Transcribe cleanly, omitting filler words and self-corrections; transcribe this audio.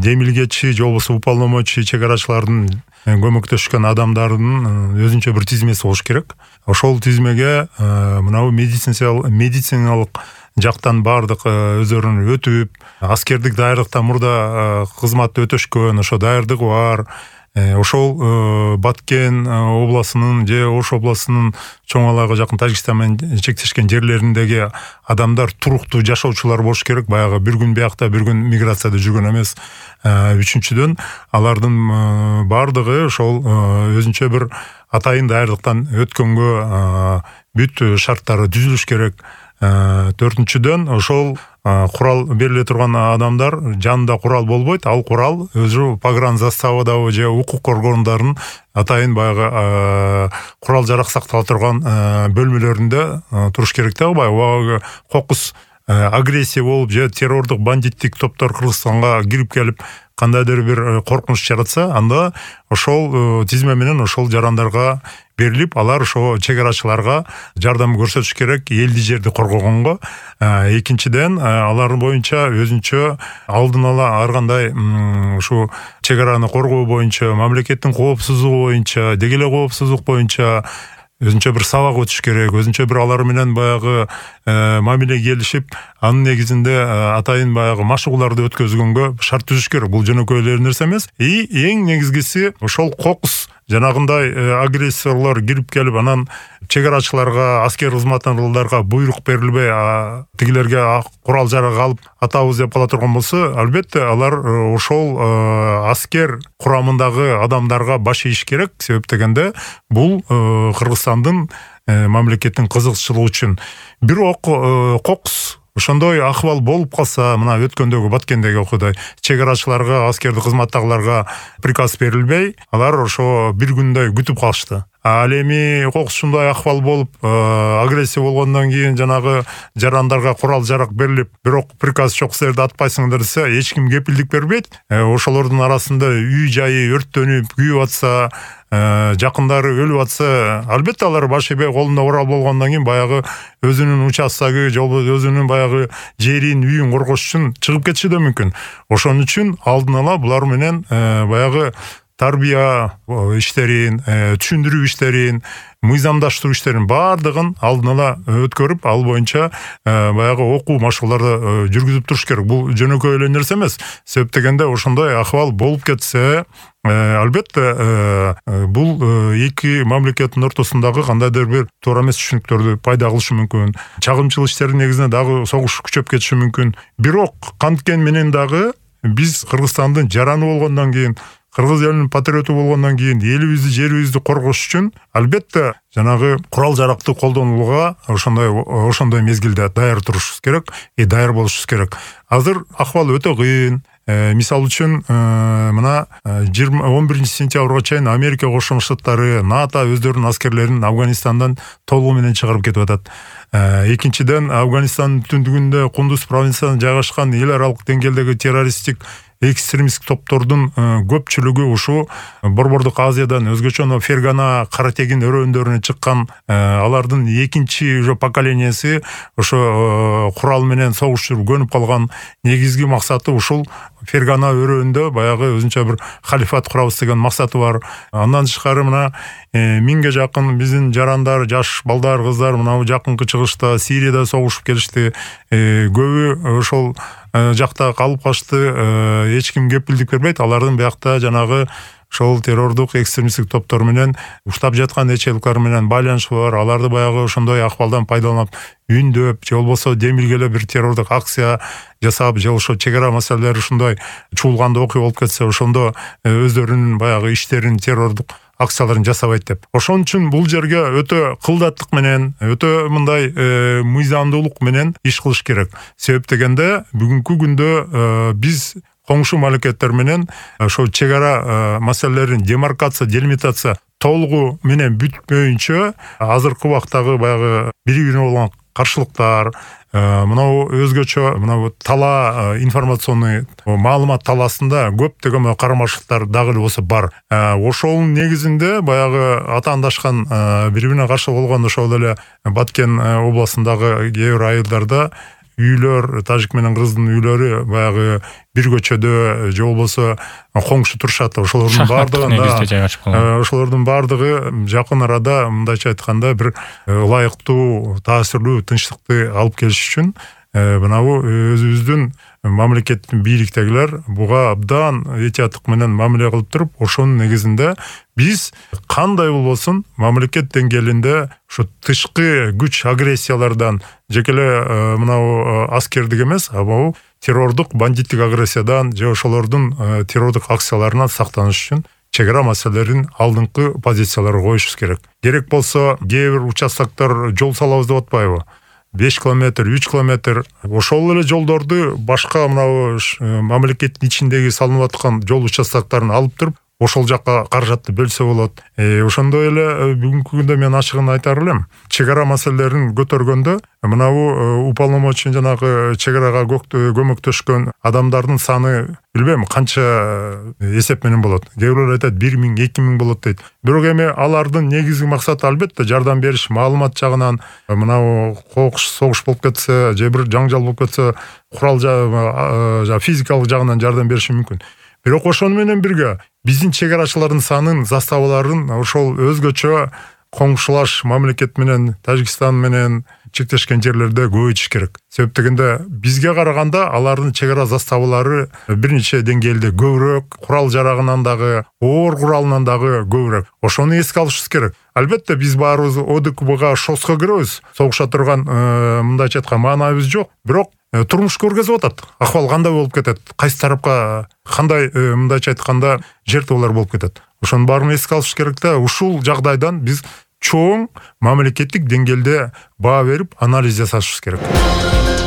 демилгечи же болбосо уполномочий чек арачылардын көмөктөшкөн адамдардын өзүнчө бир тизмеси болуш керек. Ошол тизмеге мынабу медициналык жактан бардык өздөрүн өтүп, аскердик даярдыктан мурда кызмат өтөшкөн, ошо даярдыгы бар. Ошол Баткен областынын же Ош областынын чоң алага жакын Тажикстан менен чектешкен жерлериндеги адамдар туруктуу жашоочулар болуш керек. Баягы бир күн биякта, бир күн миграцияда жүргөн эмес. Үчүнчүдөн, алардын бардыгы ошол өзүнчө бир атайын даярдыктан өткөнгө бүт шарттары түзүлүш керек. Төртүнчүдөн, ошол курал бериле турган адамдар жанында курал болбойт. Ал курал өзү погранзаставадагы же укук коргондорунун атайын баягы курал жарак сактала турган бөлмөлөрүндө туруш керек да. Баягы кокус агрессия болуп же террордук бандиттик топтор Кыргызстанга кирип келип кандайдыр бир коркунуч жаратса, анда ошол тизме менен ошол жарандарга берилип, алар ошо чек арачыларга жардам көрсөтүш керек элди жерди коргогонго. Экинчиден, алар боюнча өзүнчө алдын ала ар кандай ушу чек араны коргоо боюнча, мамлекеттин коопсуздугу боюнча, деги эле коопсуздук боюнча өзүнчө бир сабак өтүш керек, өзүнчө бир алар менен баягы мамиле келишип, анын негизинде атайын баягы машыгууларды өткөзгөнгө шарт түзүш керек. Бул жөнөкөй эле нерсе эмес. Эң негизгиси ошол кокус жанагындай агрессорлор кирип келип, анан чек арачыларга, аскер кызматтагыларга буйрук берилбей, тигилерге курал жарак алып атабыз деп кала турган болсо, албетте алар ошол аскер курамындагы адамдарга баш ийиш керек. Себеп дегенде, бул Кыргызстандын мамлекеттин кызыкчылыгы үчүн. Бирок кокус ошондой акыбал болуп калса, мына өткөндөгү Баткендеги окуядай чек арачыларга, аскерди кызматтагыларга приказ берилбей, алар ошо бир күндөй күтүп калышты. Ал эми кокусундай акыбал болуп, агрессия болгондон кийин жанагы жарандарга курал жарак берилип, бирок приказ жок, силерди атпайсыңдар десе, эч ким кепилдик бербейт. Ошолордун арасында үй жайы өрттөнүп, күйүп атса, жакындары өлүп атса, албетте алар баш ийбей колунда курал болгондон кийин баягы өзүнүн участогы же өзүнүн баягы жерин, үйүн коргош үчүн чыгып кетиши да мүмкүн. Ошон үчүн алдын ала булар менен баягы тарбия иштерин, түшүндүрүү иштерин, мыйзамдаштыруу иштерин бардыгын алдын ала өткөрүп, ал боюнча баягы окуу машыгууларды жүргүзүп туруш керек. Бул жөнөкөй эле нерсе эмес. Себеп дегенде, ошондой акыбал болуп кетсе, албетте бул эки мамлекеттин ортосундагы кандайдыр бир туура эмес түшүнүктөрдү пайда кылышы мүмкүн. Чагымчыл иштердин негизинде дагы согуш күчөп кетиши мүмкүн. Бирок канткен менен дагы биз Кыргызстандын жараны болгондон кийин, кыргыз элинин патриоту болгондон кийин, элибизди, жерибизди коргош үчүн албетте жанагы курал жаракты колдонууга ошондой мезгилде даяр турушубуз керек, даяр болушубуз керек. Азыр акыбал өтө кыйын. Мисал үчүн, мына 11 сентябрга чейин Америка Кошмо Штаттары, НАТО өздөрүнүн аскерлерин Афганистандан толугу менен чыгарып кетип атат. Экинчиден, Афганистандын түндүгүндө Кундуз провинциясында жайгашкан эл аралык деңгээлдеги террористтик экстремисттик топтордун көпчүлүгү ушу Борбордук Азиядан, өзгөчө Фергана, Каратегин өрөөндөрүнө чыккан, алардын экинчи уже поколениясы ошо курал менен согуш жүрүп көнүп калган. Негизги максаты ушул Фергана өрөөндө баягы өзүнчө бир халифат курабыз деген максаты бар. Андан тышкары мына 1000ге жакын биздин жарандар, жаш балдар, кыздар мына жакынкы чыгышта Сирияда согушуп келишти. Көбү ошол жакта калып калышты. Эч ким кепилдик бербейт. Алардын биякта жанагы ошол террордук экстремисттик топтор менен уштап жаткан ячейлыктар менен байланышы бар. Аларды баягы ошондой акыбалдан пайдаланып үндөп, же болбосо демилгеле бир террордук акция жасап, же ошо чек ара маселелери ушундай чуулганда окуя болуп кетсе, ошондо өздөрүнүн баягы иштерин, террордук акцияларын жасабайт деп. Ошон үчүн бул жерге өтө кылдаттык менен, өтө мындай мыйзамдуулук менен иш кылыш керек. Себеп дегенде, бүгүнкү күндө биз коңшу мамлекеттер менен ошо чек ара маселелерин демаркация, делимитация толугу менен бүтпөйүнчө, азыркы убактагы баягы бири-бирине болгон каршылыктар, мынау өзгөчө мынау тала информационный маалымат таласында көптөгөн карамашылыктар дагы эле болсо бар. Ошонун негизинде баягы атаандашкан бири-бирине каршы болгон ошол эле Баткен областындагы кээ бир айылдарда үйлөр, тажик менен кыргыздын үйлөрү баягы бир көчөдө же болбосо коңшу турушат. Ошолордун бардыгында ошолордун бардыгы жакын арада мындайча айтканда бир ылайыктуу, таасирлүү тынчтыкты алып келиш үчүн мынабу өзүбүздүн мамлекеттин бийликтегилер буга абдан этияттык менен мамиле кылып туруп, ошонун негизинде биз кандай болбосун мамлекет деңгээлинде ушу тышкы күч агрессиялардан жеке эле мынабу аскердик эмес, а бул террордук, бандиттик агрессиядан же ошолордун террордук акцияларынан сактаныш үчүн чек ара маселелерин алдыңкы позицияларга коюшубуз керек. Керек болсо кээ бир участоктор жол салабыз деп атпайбы? 5 километр, 3 километр. Ошол эле жолдорду башка мынабу мамлекеттин ичиндеги салынып аткан жол участоктарын алып туруп, ошол жакка каражатты бөлсө болот. Ошондой эле бүгүнкү күндө мен ачыгын айтар элем. Чек ара маселелерин көтөргөндө мынабу уполномоченный жанагы чек арага көмөктөшкөн адамдардын саны билбейм канча эсеп менен болот. Кээ бирлер айтат 1000, 2000 болот дейт. Бирок эми алардын негизги максаты албетте жардам бериш, маалымат жагынан мынабу согуш болуп кетсе, же бир жаңжал болуп кетсе, курал физикалык жагынан жардам бериши мүмкүн. Бирок ошону менен бирге биздин чек арачылардын санын, заставаларын ошол өзгөчө коңшулаш мамлекет менен, Тажикстан менен чектешкен жерлерде көбөйтүш керек. Себеп дегенде бизге караганда алардын чек ара заставалары бир нече деңгээлде көбүрөөк, курал жарагынан дагы, оор куралынан дагы көбүрөөк. Ошону эске алышыбыз керек. Албетте биз баарыбыз ОДКБга шоско киребиз. Согуша турган мындайча айткан маанайыбыз жок. Бирок турмуш көргөзүп атат. Акыбал кандай болуп кетет? Кайсы тарапка кандай мындайча айтканда жертвалар болуп кетет? Ошонун баарын эске алыш керек да, ушул жагдайдан биз чоң мамлекеттик деңгээлде баа берип анализ жасашыбыз керек.